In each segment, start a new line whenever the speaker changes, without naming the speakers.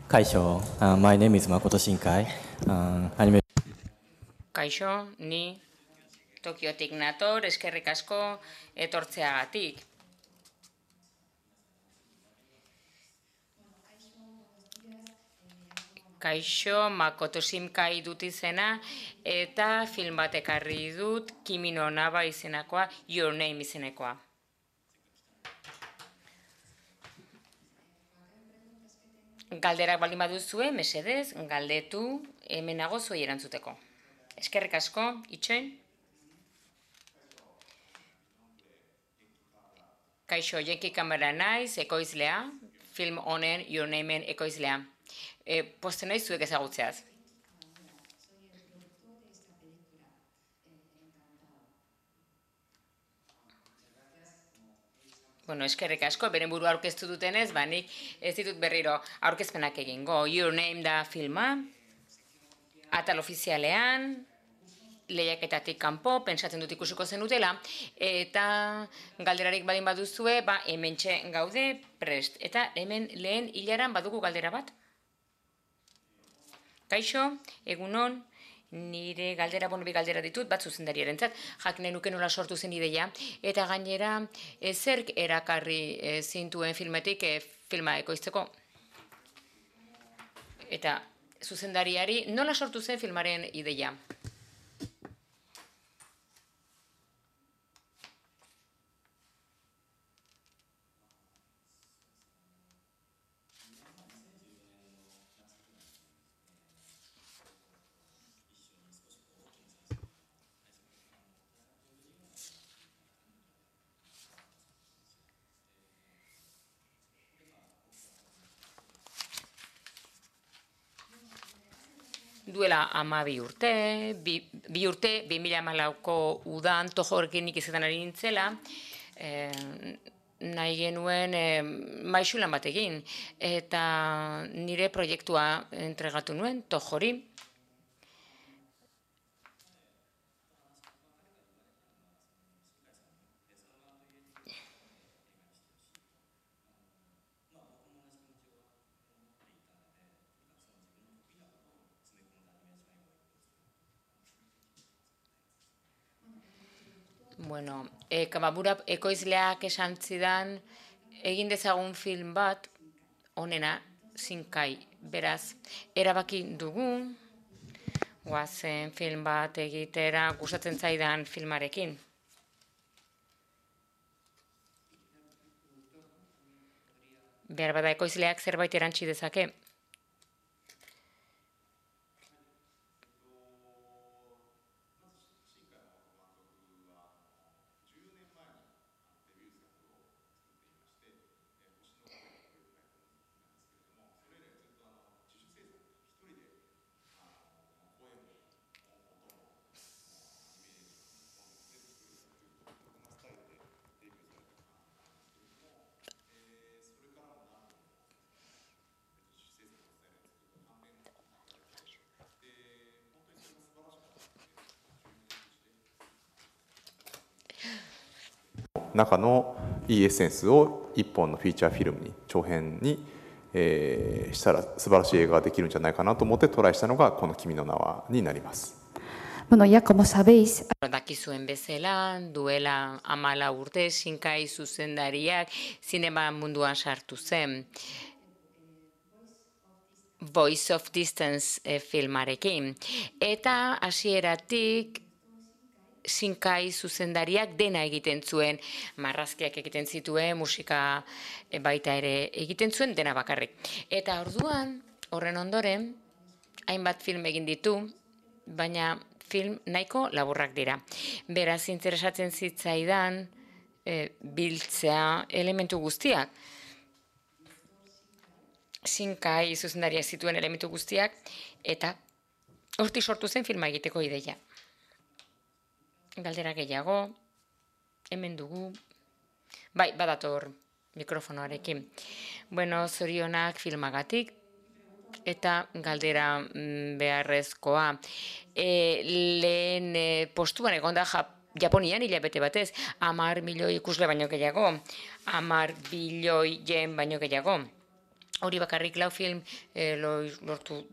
Kaixo, my name is Makoto Shinkai. Anime.
Kaixo, ni Tokiotik nator, eskerrik asko etortzeagatik. Kaixo, Makoto Shinkai dut izena, eta film bat ekarri dut, Kimi no Naba izenakoa, Your Name izenekoa. Galderak baldin baduzue, mesedez, galdetu, hemen nago zuei erantzuteko. Eskerrik asko, itxoin. Kaixo, Jenki Kamera naiz, ekoizlea, film honen, Your Nameen ekoizlea. Poste nahi zuek ezagutzeaz. Bueno, eskerrik asko, beren buru aurkeztu dutenez, nik ez ditut berriro aurkezpenak egingo. Your Name da filma, atal ofizialean, lehiaketatik kanpo, pentsatzen dut ikusiko zenutela, eta galderarik badin baduzue, hementxe gaude prest. Eta hemen lehen hilaran badugu galdera bat. Kaixo, egunon, nire galdera, bi galdera ditut, bat zuzendariarentzat, jakin nuke nola sortu zen ideia, eta gainera zerk erakarri zintuen filmetik filma ekoizteko. Eta zuzendariari nola sortu zen filmaren ideia. Duela 12 urte, bi urte, 2014ko udan tojorekin nik izaten ari nintzela, nahi genuen maisulan bat egin, eta nire proiektua entregatu nuen tojori. Bueno, Kamabura ekoizleak esan zidan, egin dezagun film bat, onena, Shinkai, beraz, erabaki dugu, guazen film bat egitera gustatzen zaidan filmarekin. Behar bada ekoizleak zerbait erantsi dezake.
中のいいエッセンスを一本のフィーチャーフィルムに長編に、したら素晴らしい映画ができるんじゃないかなと思ってトライしたのがこの「君の名は」になります。
Bueno, ya como sabéis,
Dakizuen bezala, duela 14 urte, Shinkai zuzendariak zinema munduan sartu zen. Voice of Distance filmarekin. Eta hasieratik Shinkai zuzendariak dena egiten zuen, marrazkiak egiten zituen, musika baita ere egiten zuen, dena bakarrik. Eta orduan, horren ondoren, hainbat film egin ditu, baina film nahiko laburrak dira. Beraz, interesatzen zitzaidan biltzea elementu guztiak. Shinkai zuzendariak zituen elementu guztiak, eta hortik sortu zen filma egiteko ideia. Galdera gehiago, hemen dugu, badator mikrofonoarekin. Bueno, zorionak filmagatik, eta galdera beharrezkoa. Lehen postuan egon da Japonian hilabete batez, 10 milioi ikusle baino gehiago, 10 bilioi yen baino gehiago. hori bakarrik 4 film lortu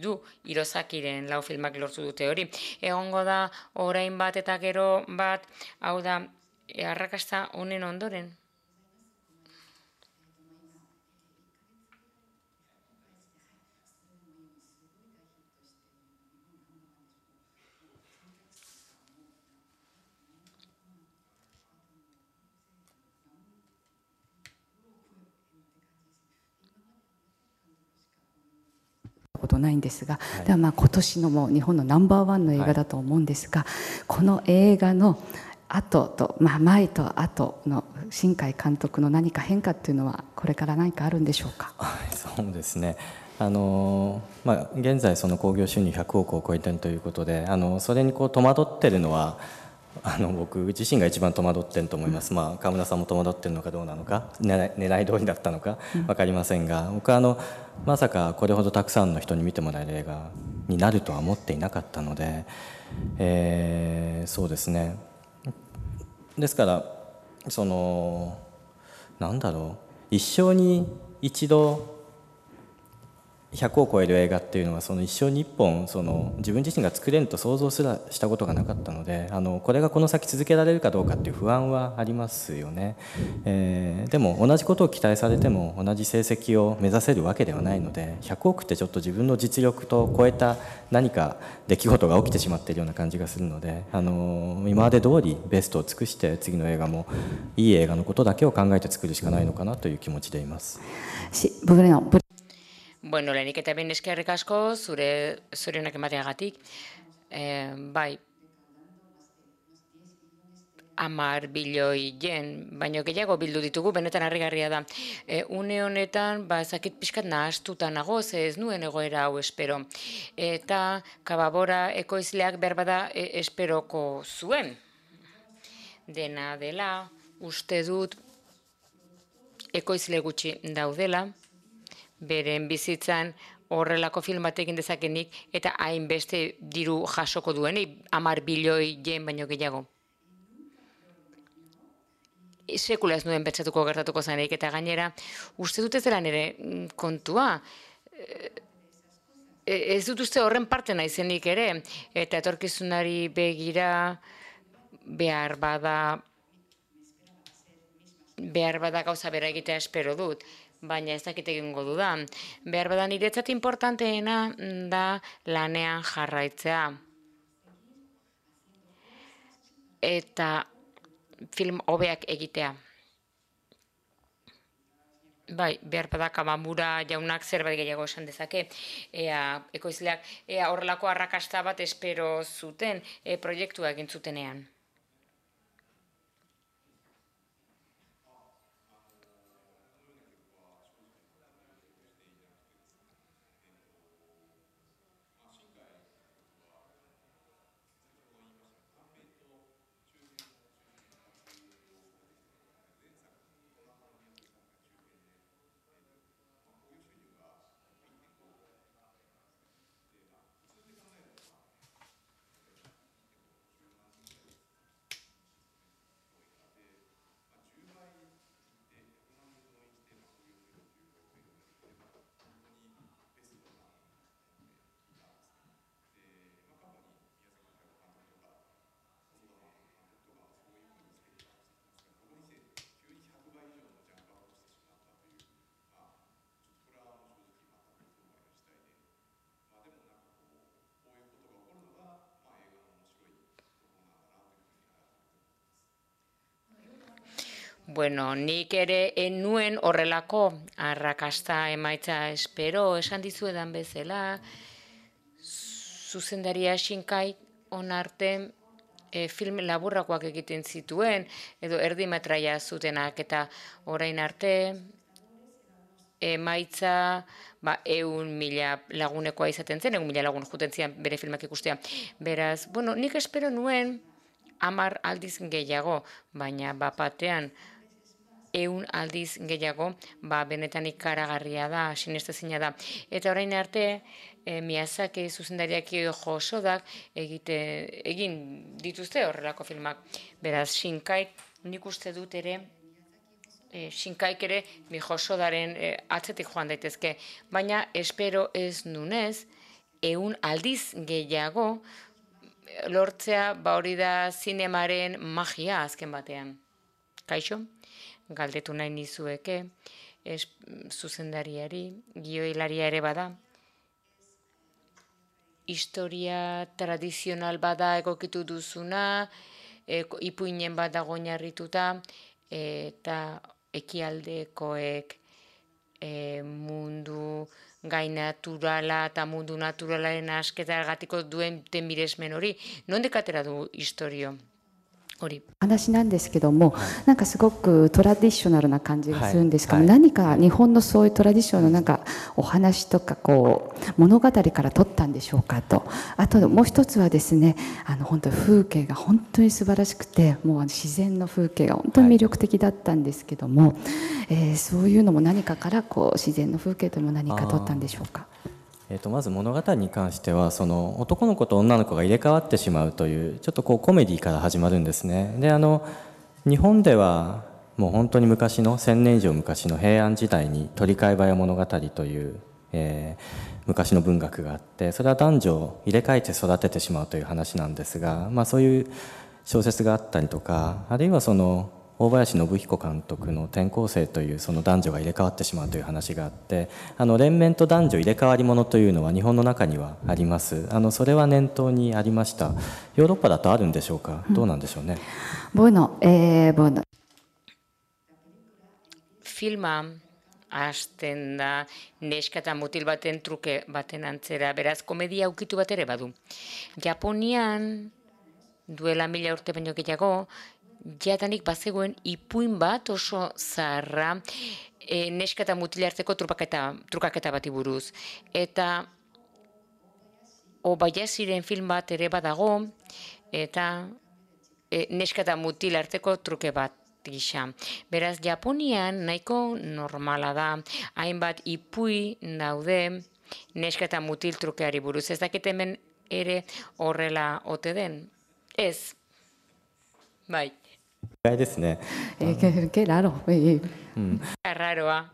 du Hirosakiren 4 filmak lortu dute hori. Egongo da orain bat eta gero bat, hau da, arrakasta honen ondoren.
ことないんですが、ではまあ今年のもう日本のナンバーワンの映画だと思うんですが、この映画の後と、前と後の新海監督の何か変化っていうのはこれから何かあるんでしょうか。
そうですね。現在その興行収入100億を超えているということで、それに戸惑っているのは僕自身が一番戸惑っていると思います。川村さんも戸惑っているのかどうなのか、狙い通りだったのか分かりませんが、僕はまさかこれほどたくさんの人に見てもらえる映画になるとは思っていなかったので、そうですね。ですからなんだろう、一生に一度100を超える映画っていうのは一生に1本自分自身が作れると想像すらしたことがなかったので、これがこの先続けられるかどうかっていう不安はありますよね。でも同じことを期待されても同じ成績を目指せるわけではないので、100億ってちょっと自分の実力と超えた何か出来事が起きてしまっているような感じがするので、今まで通りベストを尽くして次の映画もいい映画のことだけを考えて作るしかないのかなという気持ちでいます。
Bueno, lehenik eta behin eskerrik asko, zure zorionak emateagatik. Bai, 10 bilioi yen, baino gehiago bildu ditugu, benetan harrigarria da. Une honetan, ezakit pixkat nahastuta nago, ze ez nuen egoera hau espero. Eta Kababora ekoizleak berbada esperoko zuen. Dena dela, uste dut ekoizle gutxi daudela, beren bizitzan horrelako film bat egin dezakenik eta hainbeste diru jasoko duenik, 10 bilioi yen baino gehiago. Sekula ez nuen pentsatuko gertatuko zanik, eta gainera, uste dut ez dela nire kontua. Ez dut uste horren parte naizenik ere, eta etorkizunari begira behar bada gauza bera egitea espero dut, baina ez dakit egingo dudan. Behar bada niretzat importanteena da lanean jarraitzea. Eta film hobeak egitea. Bai, behar bada Kabamura jaunak zerbait gehiago esan dezake, ekoizleak horrelako arrakasta bat espero zuten proiektua egin zutenean. Bueno, nik ere enuen horrelako arrakasta emaitza espero, esan dizuedan bezala, zuzendaria Shinkai onarte film laburrakoak egiten zituen, edo erdimetraia zutenak, eta orain arte emaitza 100.000 lagunekoa izaten zen, 100.000 lagun juten zian bere filmak ikustea. Beraz, bueno, nik espero nuen 10 aldiz gehiago, baina batean 100 aldiz gehiago, benetan ikaragarria da, sinestezina da. Eta orain arte, Miyazaki zuzendariak Josodak egin dituzte horrelako filmak. Beraz, Shinkai nik uste dut ere Shinkaik ere Mijosodaren atzetik joan daitezke, baina espero ez nunez, 100 aldiz gehiago lortzea hori da zinemaren magia azken batean. Kaixo, galdetu nahi nizueke, zuzendariari, gioilaria ere bada, historia tradizional bada egokitu duzuna, ipuinen bat dago oinarrituta, eta ekialdekoek mundu gai naturala eta mundu naturalaren asketargatiko duen miresmen hori. Nondik atera du historio hori?
話なんですけども、なんかすごくトラディショナルな感じがするんですけど、
はい
何か日本のそういうトラディショナルのなんかお話とかこう物語から取ったんでしょうかと。あともう一つはですね、本当に風景が本当に素晴らしくて、もう自然の風景が本当に魅力的だったんですけども、そういうのも何かからこう自然の風景というのも何か取ったんでしょうか。
まず物語に関してはその男の子と女の子が入れ替わってしまうというちょっとこうコメディから始まるんですね。で日本ではもう本当に昔の1000年以上昔の平安時代に鳥飼早物語という、昔の文学があって、それは男女を入れ替えて育ててしまうという話なんですが、そういう小説があったりとか、あるいはその大林信彦監督の転校生というその男女が入れ替わってしまうという話があって、連綿と男女入れ替わりものというのは日本の中にはあります。それは念頭にありました。ヨーロッパだとあるんでしょうか、どうなんでしょうね。
Bueno,
Filma hasten da neska eta mutil baten truke baten antzera, beraz komedia ukitu bat ere badu. Japonian duela 1000 urte baino gehiago, jadanik bazegoen ipuin bat oso zaharra neska eta mutil arteko trukaketa bati buruz. Eta Obayashiren film bat ere badago, eta neska eta mutil arteko truke bat gisa. Beraz, Japonian nahiko normala da, hainbat ipui daude neska eta mutil trukeari buruz. Ez dakit hemen ere horrela ote den? Ez. Bai.
意外ですね。
qué raro.
Arraroa.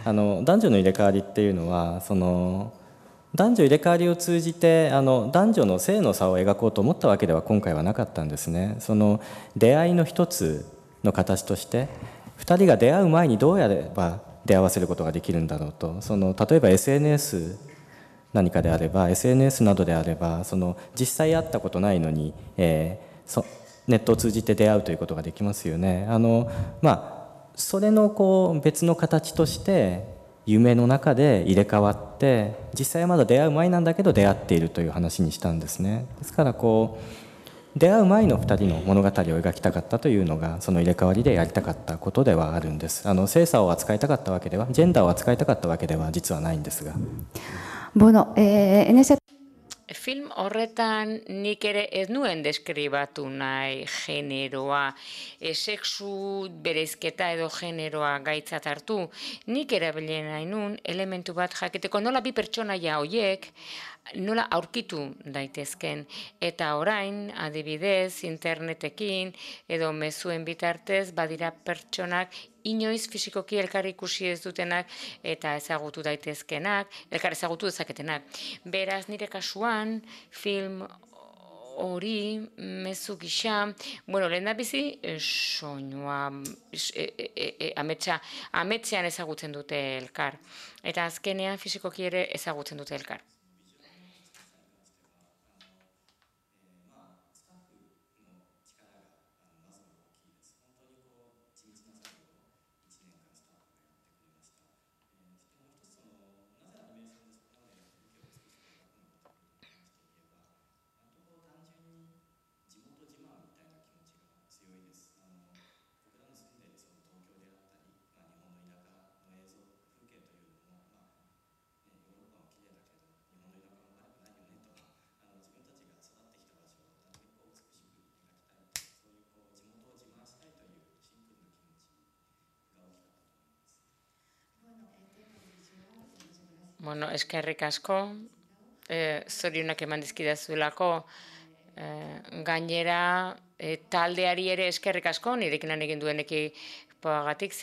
男女の入れ替わりっていうのはその男女入れ替わりを通じて男女の性の差を描こうと思ったわけでは今回はなかったんですね。その出会いの一つの形として2人が出会う前にどうやれば出会わせることができるんだろうと。例えば SNS 何かであれば SNS などであれば実際会ったことないのに、ネットを通じて出会うということができますよね。それのこう別の形として夢の中で入れ替わって実際はまだ出会う前なんだけど出会っているという話にしたんですね。ですからこう出会う前の2人の物語を描きたかったというのがその入れ替わりでやりたかったことではあるんです。性差を扱いたかったわけではジェンダーを扱いたかったわけでは実はないんですが。
Bueno, en ese
Film horretan nik ere ez nuen deskribatu nahi generoa, sexu bereizketa edo generoa gaitzat hartu. Nik erabili nahi nun elementu bat jakiteko nola bi pertsonaia horiek nola aurkitu daitezken. Eta orain, adibidez, internetekin edo mezuen bitartez badira pertsonak inoiz fisikoki elkar ikusi ez dutenak eta ezagutu daitezkenak, elkar ezagutu dezaketenak. Beraz, nire kasuan, film hori mezu gisa, lehen da bizi, soinua, ametzean ezagutzen dute elkar. Eta azkenean fisikoki ere ezagutzen dute elkar. Eskerrik asko, zorionak eman dizkidazuelako, Gainera, taldeari ere eskerrik asko, nirekin lan egin dueneki pagatik,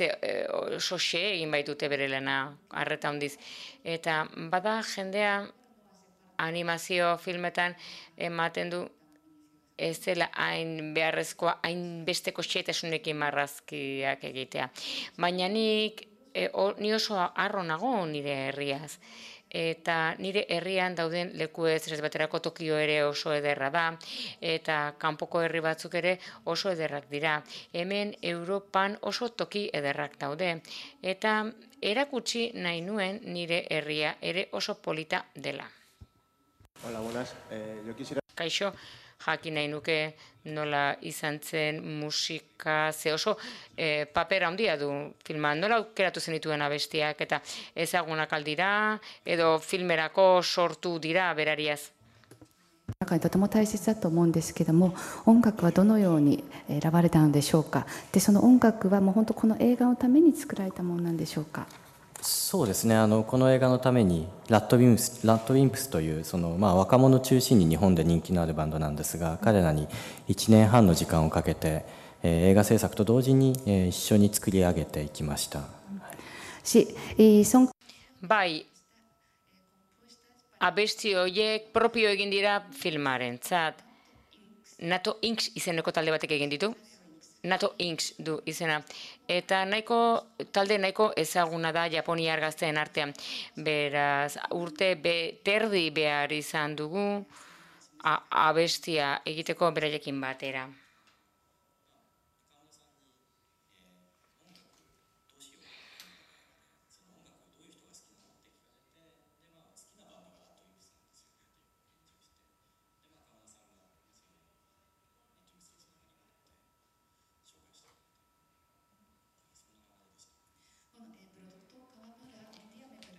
oso xe egin baitute bere lana, arreta handiz. Eta bada jendea animazio filmetan ematen du ez dela hain beharrezkoa, hain besteko xetasunekin marrazkiak egitea. Baina ni oso harro nago nire herriaz. Eta nire herrian dauden lekuez, ez baterako Tokio ere oso ederra da, eta kanpoko herri batzuk ere oso ederrak dira. Hemen Europan oso toki ederrak daude, eta erakutsi nahi nuen nire herria ere oso polita dela.
Hola, buenas. Yo quisiera...
Kaixo, jakin nahi nuke nola izan zen musika, ze oso paper handia du filman, nola aukeratu zenituen abestiak eta ezagunak aldira, edo filmerako sortu dira berariaz.
中にとても大切だと思うんですけども、音楽はどのように選ばれたのでしょうか。で、その音楽はもう本当この映画のために作られたものなんでしょうか。
そうですね、この映画のためにラッドウィンプスという若者中心に日本で人気のあるバンドなんですが、彼らに1年半の時間をかけて、映画制作と同時に、一緒に作り上げていきました。
Bai, abesti horiek propio egin dira filmarentzat. NATO Inks izeneko talde batek egin ditu. NATO Inks du izena. Eta talde nahiko ezaguna da japoniar gazteen artean. Beraz, urte terdi behar izan dugu abestia egiteko beraiekin batera.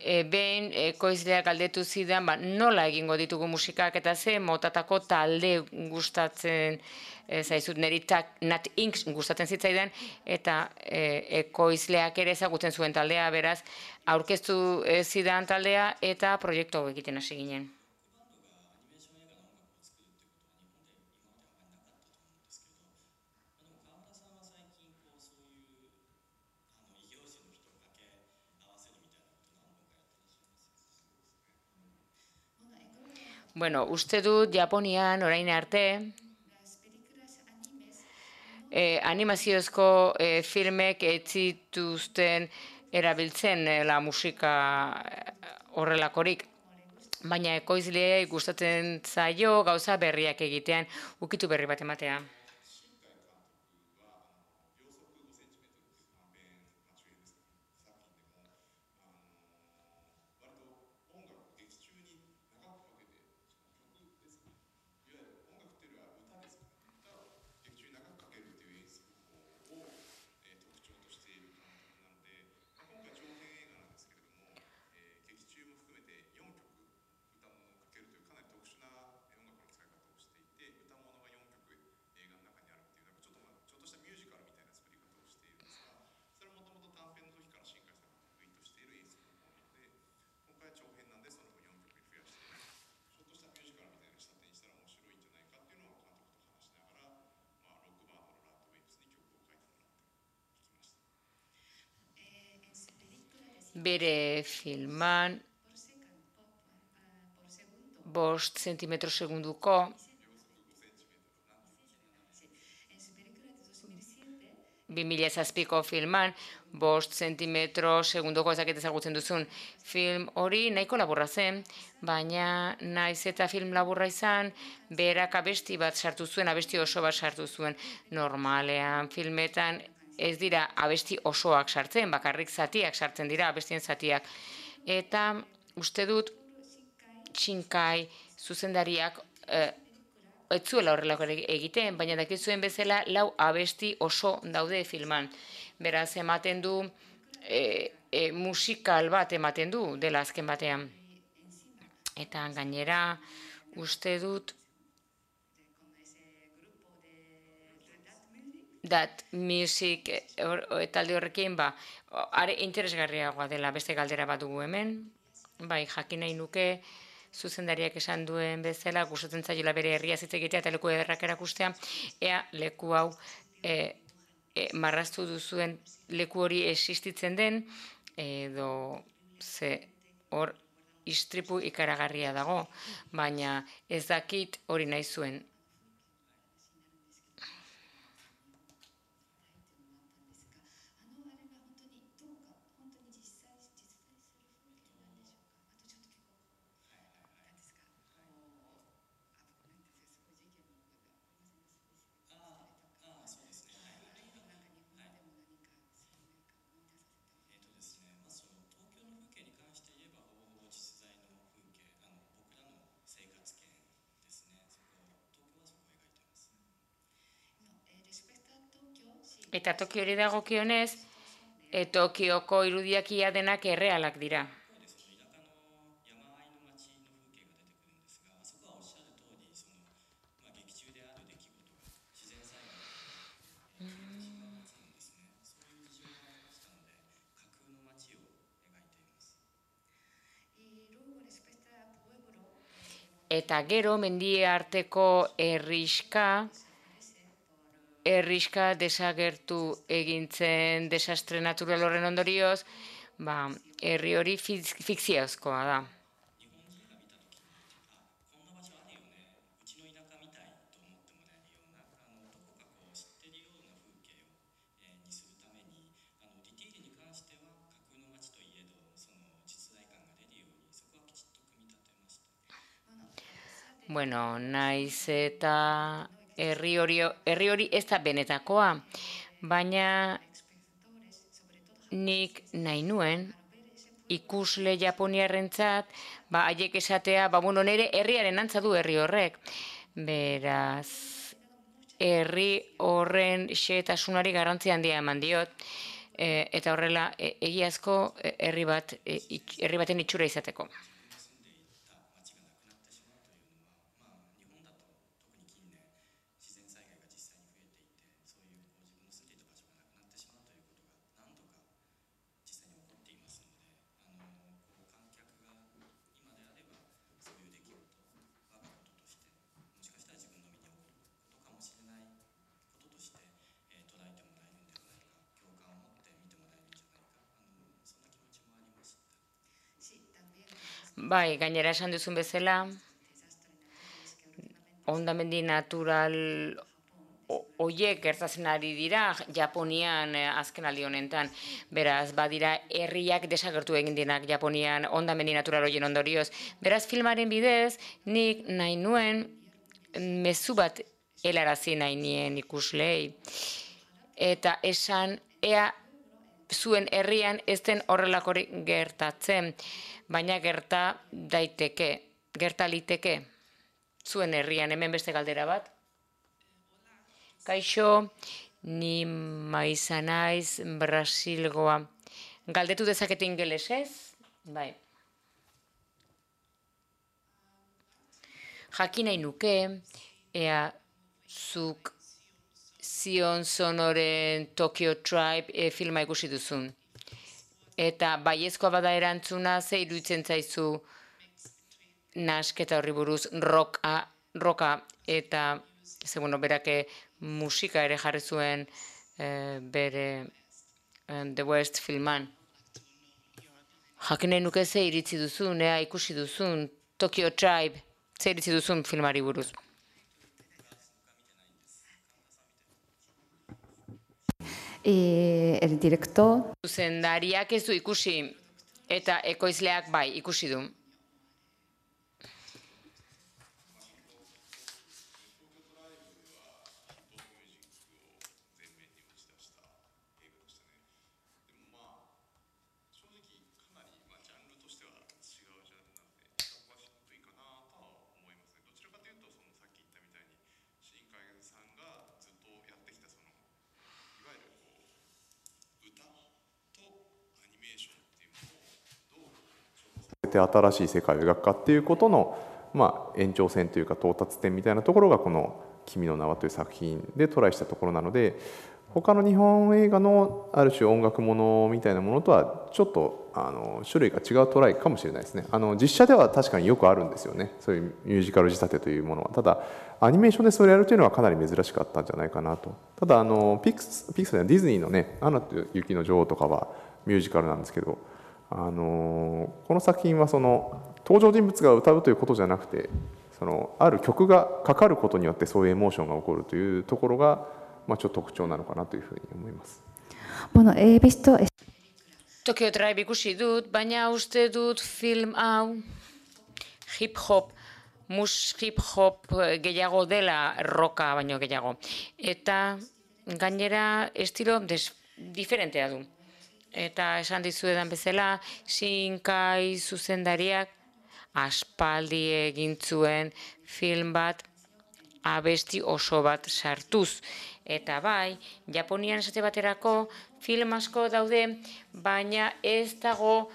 Behin ekoizleak galdetu zidan, nola egingo ditugu musikak eta ze motatako talde gustatzen zaizut, niri Nat Inks gustatzen zitzaidan, eta ekoizleak ere ezagutzen zuen taldea, beraz, aurkeztu zidan taldea eta proiektu hau egiten hasi ginen. Bueno, uste dut Japonian orain arte animaziozko filmek ez zituzten erabiltzen la musika horrelakorik. Baina ekoizleei gustatzen zaio gauza berriak egitean, ukitu berri bat ematea. Bere filman 5 zentimetro segunduko 2007ko filman 5 zentimetro segunduko ezagutzen duzun film hori nahiko laburra zen, baina naiz eta film laburra izan, berak abesti bat sartu zuen, abesti oso bat sartu zuen. Normalean filmetan ez dira abesti osoak sartzen, bakarrik zatiak sartzen dira, abestien zatiak. Eta uste dut Shinkai zuzendariak ez zuela horrelako egiten, baina dakizuen bezala 4 abesti oso daude filman. Beraz, ematen du, musikal bat ematen du dela azken batean. Eta gainera, uste dut, That Music talde horrekin, are interesgarriagoa dela beste galdera bat dugu hemen. Bai, jakin nahi nuke, zuzendariak esan duen bezala, gustatzen zaiola bere herria hitz egitea eta leku ederrak erakustea, ea leku hau marraztu duzuen leku hori existitzen den, edo ze hor istripu ikaragarria dago, baina ez dakit hori nahi zuen. Eta Tokiori dagokionez, Tokioko irudiak ia denak errealak dira. Eta gero, mendi arteko herrixka desagertu egintzen desastre natural horren ondorioz, herri hori fikziozkoa da. Bueno, naiz eta herri hori ez da benetakoa, baina nik nahi nuen ikusle japoniarrentzat, haiek esatea, nire herriaren antza du herri horrek. Beraz, herri horren xehetasunari garrantzia handia eman diot, eta horrela egiazko herri baten itxura izateko. Bai, gainera esan duzun bezala, hondamendi natural horiek gertatzen ari dira Japonian azken aldi honetan. Beraz, badira herriak desagertu egin dinak Japonian hondamendi natural horien ondorioz. Beraz, filmaren bidez, nik nahi nuen mezu bat helarazi nahi nien ikuslei. Eta esan, ea zuen herrian ez den horrelakorik gertatzen, baina gerta liteke zuen herrian. Hemen beste galdera bat. Kaixo, ni Maiza naiz, Brasilgoa. Galdetu dezaket ingelesez? Bai. Jakin nahi nuke, ea zuk Zion Sonoren Tokyo Tribe filma ikusi duzun. Eta baiezkoa bada erantzuna, ze iruditzen zaizu nasketa horri buruz roka eta berak musika ere jarri zuen bere The West filman. Jakin nahi nuke ze iritzi duzun, ikusi duzun Tokyo Tribe, ze iritzi duzun filmari buruz.
El director.
Zuzendariak ez du ikusi eta ekoizleak bai ikusi du.
新しい世界を描くかっていうことの、延長線というか到達点みたいなところがこの「君の名は」という作品でトライしたところなので、他の日本映画のある種音楽ものみたいなものとはちょっと種類が違うトライかもしれないですね。実写では確かによくあるんですよね、そういうミュージカル仕立てというものは。ただアニメーションでそれやるというのはかなり珍しかったんじゃないかなと。ただピクサーやディズニーのね「アナと雪の女王」とかはミュージカルなんですけど、この作品はその登場人物が歌うということじゃなくて、そのある曲がかかることによってそういうエモーションが起こるというところが、ちょっと特徴なのかなというふうに思います。
Bueno, he visto
Tokyo Drive ikusi dut, baina uste dut film hau hip-hop, hip-hop gehiago dela roka baino gehiago. Eta gainera estilo diferentea du. Eta esan dizuedan bezala, Shinkai zuzendariak aspaldi egin zuen film bat abesti oso bat sartuz. Eta bai, Japonian esate baterako film asko daude, baina ez dago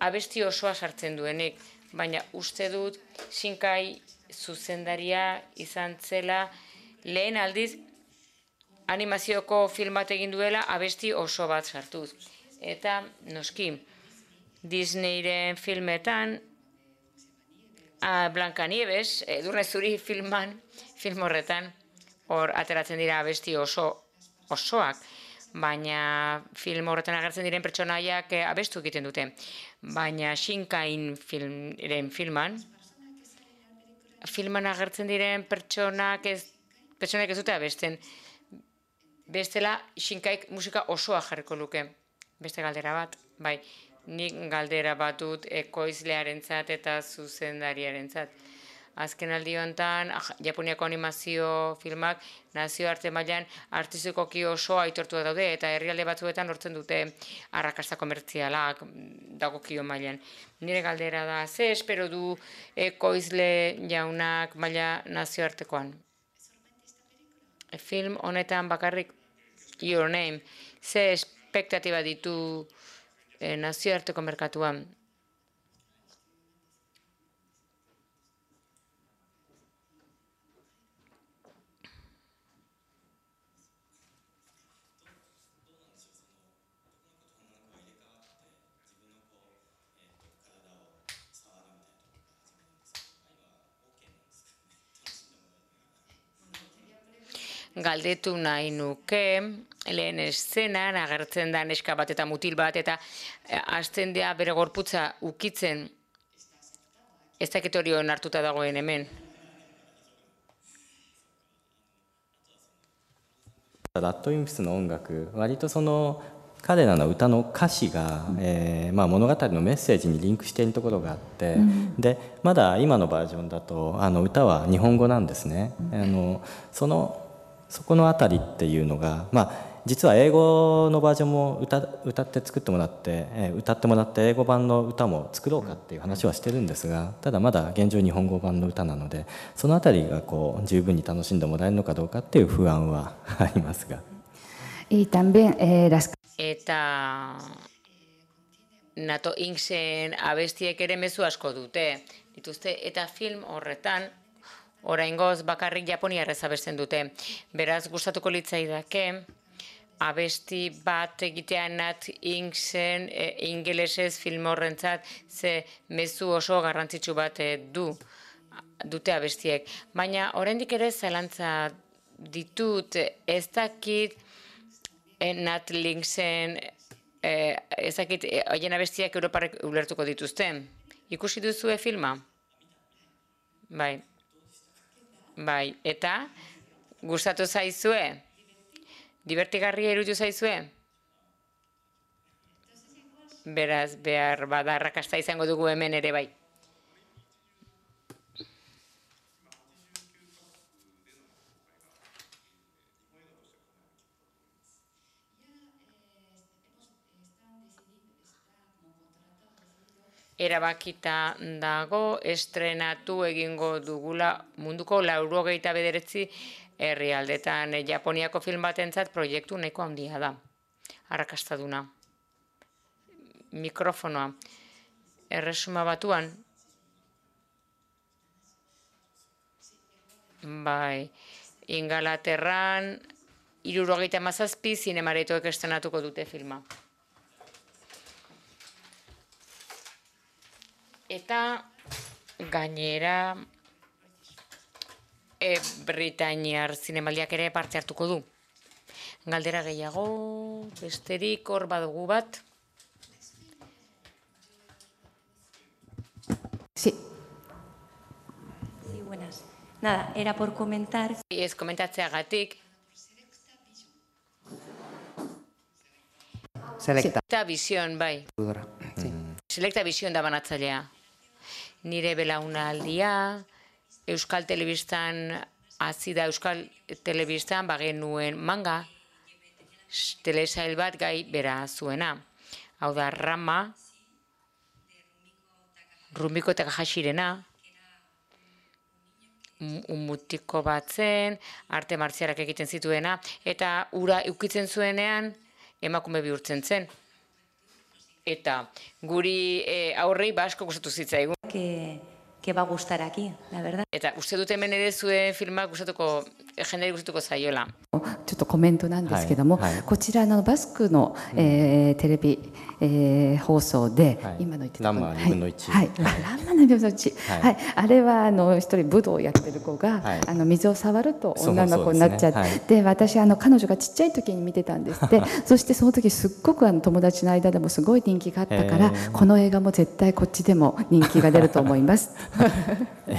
abesti osoa sartzen duenik. Baina uste dut Shinkai zuzendaria izan zela lehen aldiz animazioko film bat egin duela abesti oso bat sartuz. Eta noski, Disneyren filmetan, Blancanieves, Edurne Zuri film horretan, hor ateratzen dira abesti osoak, baina film horretan agertzen diren pertsonaiak abestu egiten dute. Baina Shinkain filman agertzen diren pertsonak ez dute abesten. Bestela Shinkaik musika osoa jarriko luke. Beste galdera bat, bai, nik galdera bat dut ekoizlearentzat eta zuzendariarentzat. Azken aldi honetan, Japoniako animazio filmak nazioarte mailan artistikoki oso aitortua daude eta herrialde batzuetan lortzen dute arrakasta komertzialak dagokio mailan. Nire galdera da, ze espero du ekoizle jaunak maila nazioartekoan? Film honetan bakarrik Your Name, ze espektatiba ditu nazioarteko merkatuan? Galdetu nahi nuke, lehen eszenan agertzen da neska bat eta mutil bat, eta hasten dira bere gorputza ukitzen, ez dakit hori onartuta dagoen hemen.
ラッドウィンプスの音楽、割とその彼らの歌の歌詞が、物語のメッセージにリンクしているところがあって、でまだ今のバージョンだと歌は日本語なんですね。そこのあたりっていうのが、実は英語のバージョンも歌って作ってもらって歌ってもらって英語版の歌も作ろうかっていう話はしてるんですが、ただまだ現状日本語版の歌なので、そのあたりがこう十分に楽しんでもらえるのかどうかっていう不安はありますが。
y también las
Eta NATO Inksen abestiek ere mezu asko dituzte, eta film horretan oraingoz bakarrik japoniarrez abesten dute. Beraz gustatuko litzaidake abesti bat egitea Nat Inksen ingelesez film horrentzat, ze mezu oso garrantzitsu bat dute abestiek. Baina oraindik ere zalantza ditut, ez dakit Nat Inksen ez dakit haien abestiak Europarrek ulertuko dituzten. Ikusi duzue filma? Bai. Bai, eta gustatu zaizue? Divertigarria iruditu zaizue? Beraz, behar bada arrakasta izango dugu hemen ere bai. Erabakita dago, estrenatu egingo dugula munduko 99 herrialdetan. Japoniako film batentzat proiektu nahiko handia da. Arrakastaduna. Mikrofonoa. Erresuma Batuan. Bai. Ingalaterran 77 zinemaretoek estrenatuko dute filma. Eta gainera Britainiar zinemaldiak ere parte hartuko du. Galdera gehiago, besterik hor badugu bat.
Sí.
Sí, buenas. Nada, era por comentar.
Ez komentatzeagatik. Selecta Vision, bai. Selecta Vision da banatzailea. Nire belaunaldia, Euskal Telebistan, hasi da Euskal Telebistan bagenuen manga, telesail bat gai bera zuena. Hau da Rama, Rumiko Takahashirena, mutiko bat zen, arte martzialak egiten zituena, eta ura eukitzen zuenean emakume bihurtzen zen. Eta guri aurrei asko gustatu zitzaigun.
Que va a gustar aquí, la verdad.
Eta uste dut hemen ere zuen filmak gustatuko, jenderi gustatuko zaiola.
ちょっとコメントなんですけども、こちらのバスクの、テレビ、放送で、今の言ってた
ランマ2分の1、
はい、ランマ2分の1、はい、あれは一人武道をやってる子が、水を触ると女の子になっちゃって、で私彼女がちっちゃい時に見てたんですって。そしてその時すっごく友達の間でもすごい人気があったから、この映画も絶対こっちでも人気が出ると思います。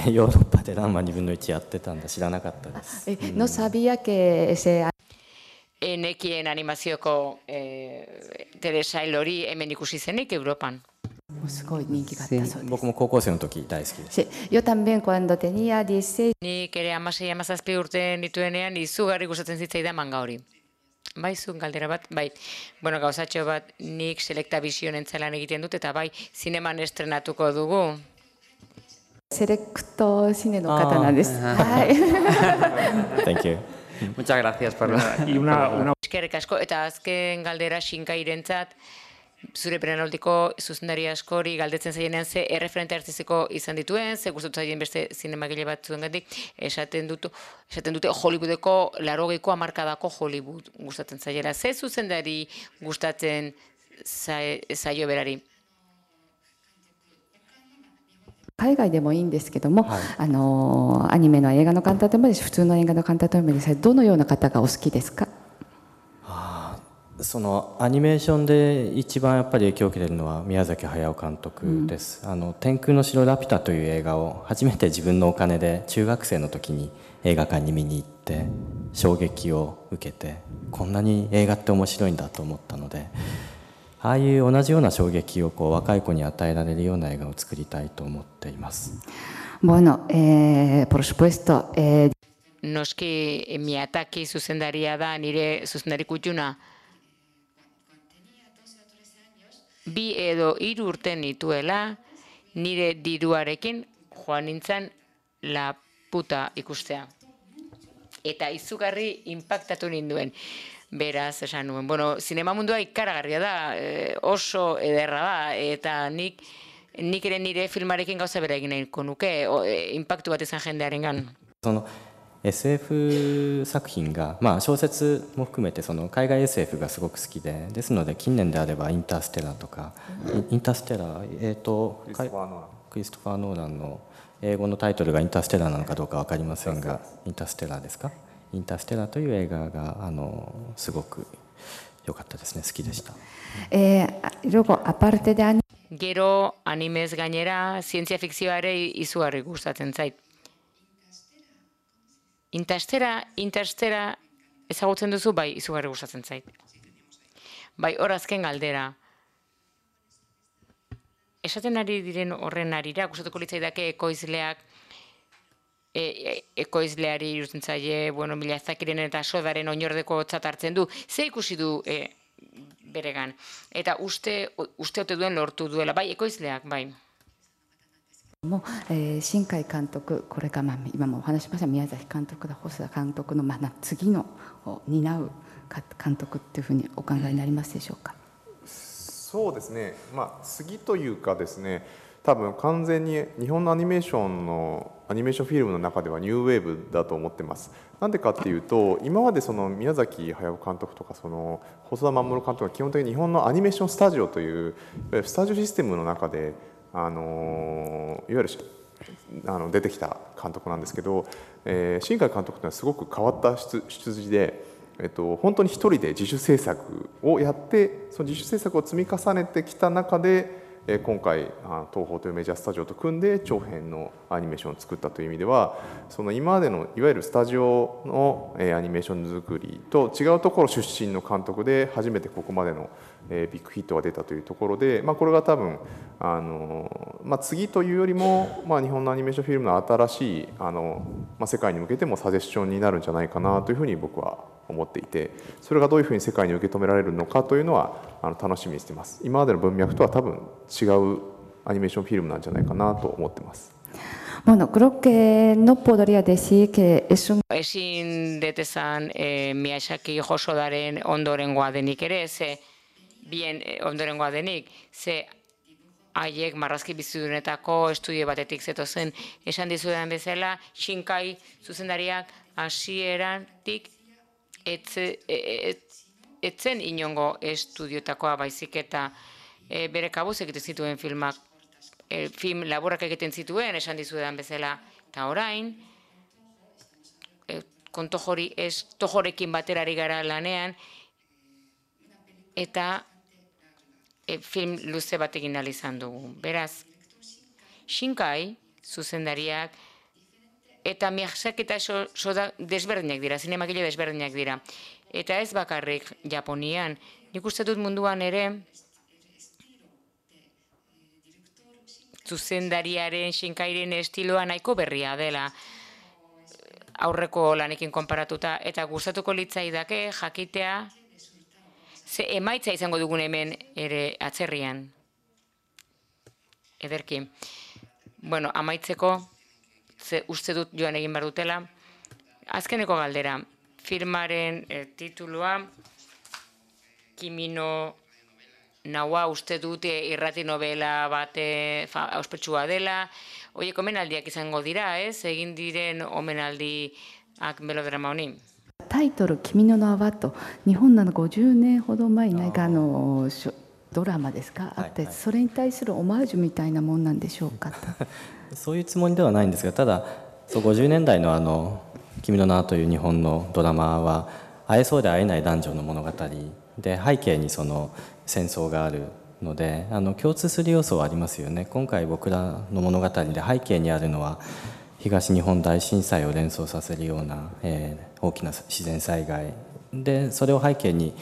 ヨーロッパでランマ2分の1やってたんだ、知らなかったです。
No sabía que se
Nekien animazioko telesail hori hemen ikusi zenik Europan.
すごい人気があったそうです。
僕も高校生の時大好きです。
Yo también cuando tenía 16
Nik ere 16-17 urte nituenean izugarri gustatzen zitzaidan manga hori. Bai, zuen galdera bat, bai. Bueno, gauzatxo bat nik Selecta Vision entzalan egiten dut, eta bai, zineman estrenatuko dugu.
セレクトシネの方なんです。はい。
Thank you.
Muchas gracias por
Y una
Eskerrik asko, eta azken galdera Shinkairentzat, zure perenaldiko zuzendari askori galdetzen zaienean ze erreferente artistiko izan dituen, ze gustatu zaien beste zinemagile batzuengatik, esaten dute Hollywoodeko 80ko hamarkadako Hollywood gustatzen zaiela. Ze zuzendari gustatzen zaio berari?
海外でもいいんですけども、アニメの映画の監督でもいいし、普通の映画の監督でもいいです。どのような方がお好きですか？
そのアニメーションで一番やっぱり影響を受けているのは宮崎駿監督です。天空の城ラピュタという映画を初めて自分のお金で中学生の時に映画館に見に行って衝撃を受けて、こんなに映画って面白いんだと思ったので、ああいう同じような衝撃を若い子に与えられるような映画を作りたいと思っています。
Bueno, por supuesto,
Noski Miyazaki zuzendaria da, nire zuzendari kutxuna. 2 edo 3 urte nituela, nire diruarekin joan nintzen La Puta ikustea. Eta izugarri inpaktatu ninduen. Beraz, esan nuen, bueno, zinema mundua ikaragarria da, oso ederra da, eta nik ere nire filmarekin gauza bera egin nahiko nuke, inpaktu bat izan jendearengan.
SF 作品が、小説も含めて海外 SF がすごく好きで、ですので近年であればインターステラーとか、インターステラー、クリストファー・ノーランの英語のタイトルがインターステラーなのかどうか分かりませんが、インターステラーですか？インターステラーという映画がすごく良かったですね、好きでした。
luego aparte de
Gero animez gainera zientzia fikzioa ere izugarri gustatzen zait. Interstera ezagutzen duzu, bai, izugarri gustatzen zait. Bai, hor azken galdera. Esaten ari diren horren arira, gustatuko litzaidake ekoizleari iruditzen zaie, bueno, Miyazakiren eta Sodaren oinordeko tzat hartzen du, ze ikusi du beregan. Eta uste ote duen lortu duela, bai, ekoizleak, bai.
新海監督、これが今もお話しました宮崎監督だ、細田監督の次のを担う監督っていうふうにお考えになりますでしょうか？
そうですね、次というかですね、多分完全に日本のアニメーションフィルムの中ではニューウェーブだと思ってます。なんでかっていうと、今までその宮崎駿監督とかその細田守監督は基本的に日本のアニメーションスタジオといういわゆるスタジオシステムの中でいわゆる出てきた監督なんですけど、新海監督というのはすごく変わった出自で、本当に一人で自主制作をやって、その自主制作を積み重ねてきた中で、今回東宝というメジャースタジオと組んで長編のアニメーションを作ったという意味では、その今までのいわゆるスタジオのアニメーション作りと違うところ出身の監督で初めてここまでのビッグヒットが出たというところで、これが多分次というよりも、日本のアニメーションフィルムの新しい世界に向けてもサジェスションになるんじゃないかなというふうに僕は思っていて、それがどういうふうに世界に受け止められるのかというのは楽しみにしています。今までの文脈とは多分違うアニメーションフィルムなんじゃないかなと思ってます。
Bueno, creo que no podría decir que es un...
Ezin detezan Miyazaki Hosodaren ondorengoa denik ere, bien ondorengoa denik, haiek marrazki bizidunetako estudio batetik zetozen. Esan dizudan bezala, Shinkai zuzendariak hasieratik etzen inongo estudiotakoa, baizik eta bere kabuz egiten zituen filmak, film laburrak egiten zituen, esan dizudan bezala, eta orain, Tojorekin batera ari gara lanean, eta film luze bat egin ahal izan dugu. Beraz, Shinkai zuzendariak eta Miyazaki eta Soda desberdinak dira, zinemagile desberdinak dira. Eta ez bakarrik Japonian, nik uste dut munduan ere zuzendariaren Shinkairen estiloa nahiko berria dela aurreko lanekin konparatuta, eta gustatuko litzaidake jakitea ze emaitza izango dugun hemen ere atzerrian. Ederki. Bueno, amaitzeko, ze uste dut joan egin behar dutela. Azkeneko galdera, filmaren titulua, Kimi no Nawa uste dut irrati novela bate ospetsua dela. Oiek omenaldiak izango dira, ez? Egin diren omenaldiak melodrama honi.
タイトル「君の名は」と日本の50年ほど前に何かドラマですかあって、それに対するオマージュみたいなもんなんでしょうか
そういうつもりではないんですが、ただ50年代の「君の名は」という日本のドラマは会えそうで会えない男女の物語で、背景にその戦争があるので共通する要素はありますよね。今回僕らの物語で背景にあるのは東日本大震災を連想させるような、大きな自然災害で、それを背景に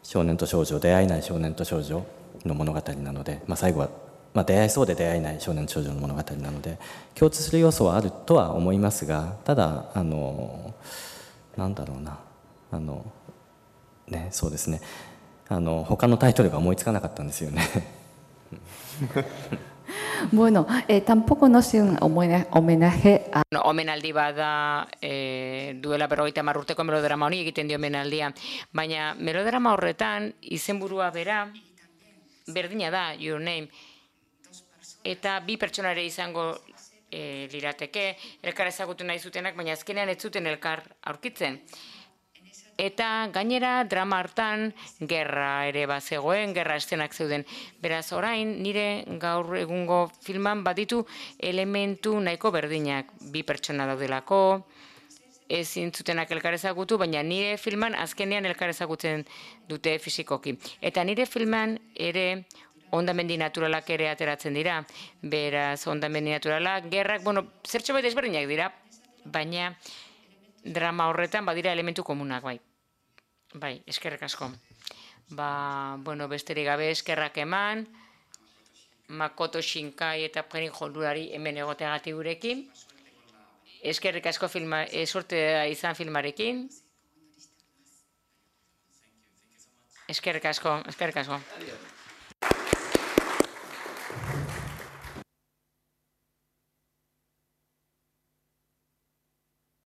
少年と少女、出会えない少年と少女の物語なので、最後は、出会えそうで出会えない少年と少女の物語なので共通する要素はあるとは思いますが、ただなんだろうなそうですね、他のタイトルが思いつかなかったんですよね。
Bueno, tampoco no es un homenaje a...
Omenaldi bada duela 50 urteko melodrama honi egiten dio omenaldia, baina melodrama horretan izenburua bera berdina da, Your Name, eta bi pertsona ere izango lirateke, elkar ezagutu nahi zutenak, baina azkenean ez zuten elkar aurkitzen. Eta gainera drama hartan gerra ere bazegoen, gerra eszenak zeuden. Beraz orain nire gaur egungo filman baditu elementu nahiko berdinak. Bi pertsona daudelako, ezin zutenak elkar ezagutu, baina nire filman azkenean elkar ezagutzen dute fisikoki. Eta nire filman ere hondamendi naturalak ere ateratzen dira. Beraz hondamendi naturalak, gerrak, zertxo bai desberdinak dira, baina drama horretan badira elementu komunak, bai. Bai, eskerrik asko. Besterik gabe eskerrak eman, Makoto Shinkai eta Pren Jondurari hemen egoteagatik gurekin. Eskerrik asko sorte izan filmarekin. Eskerrik asko.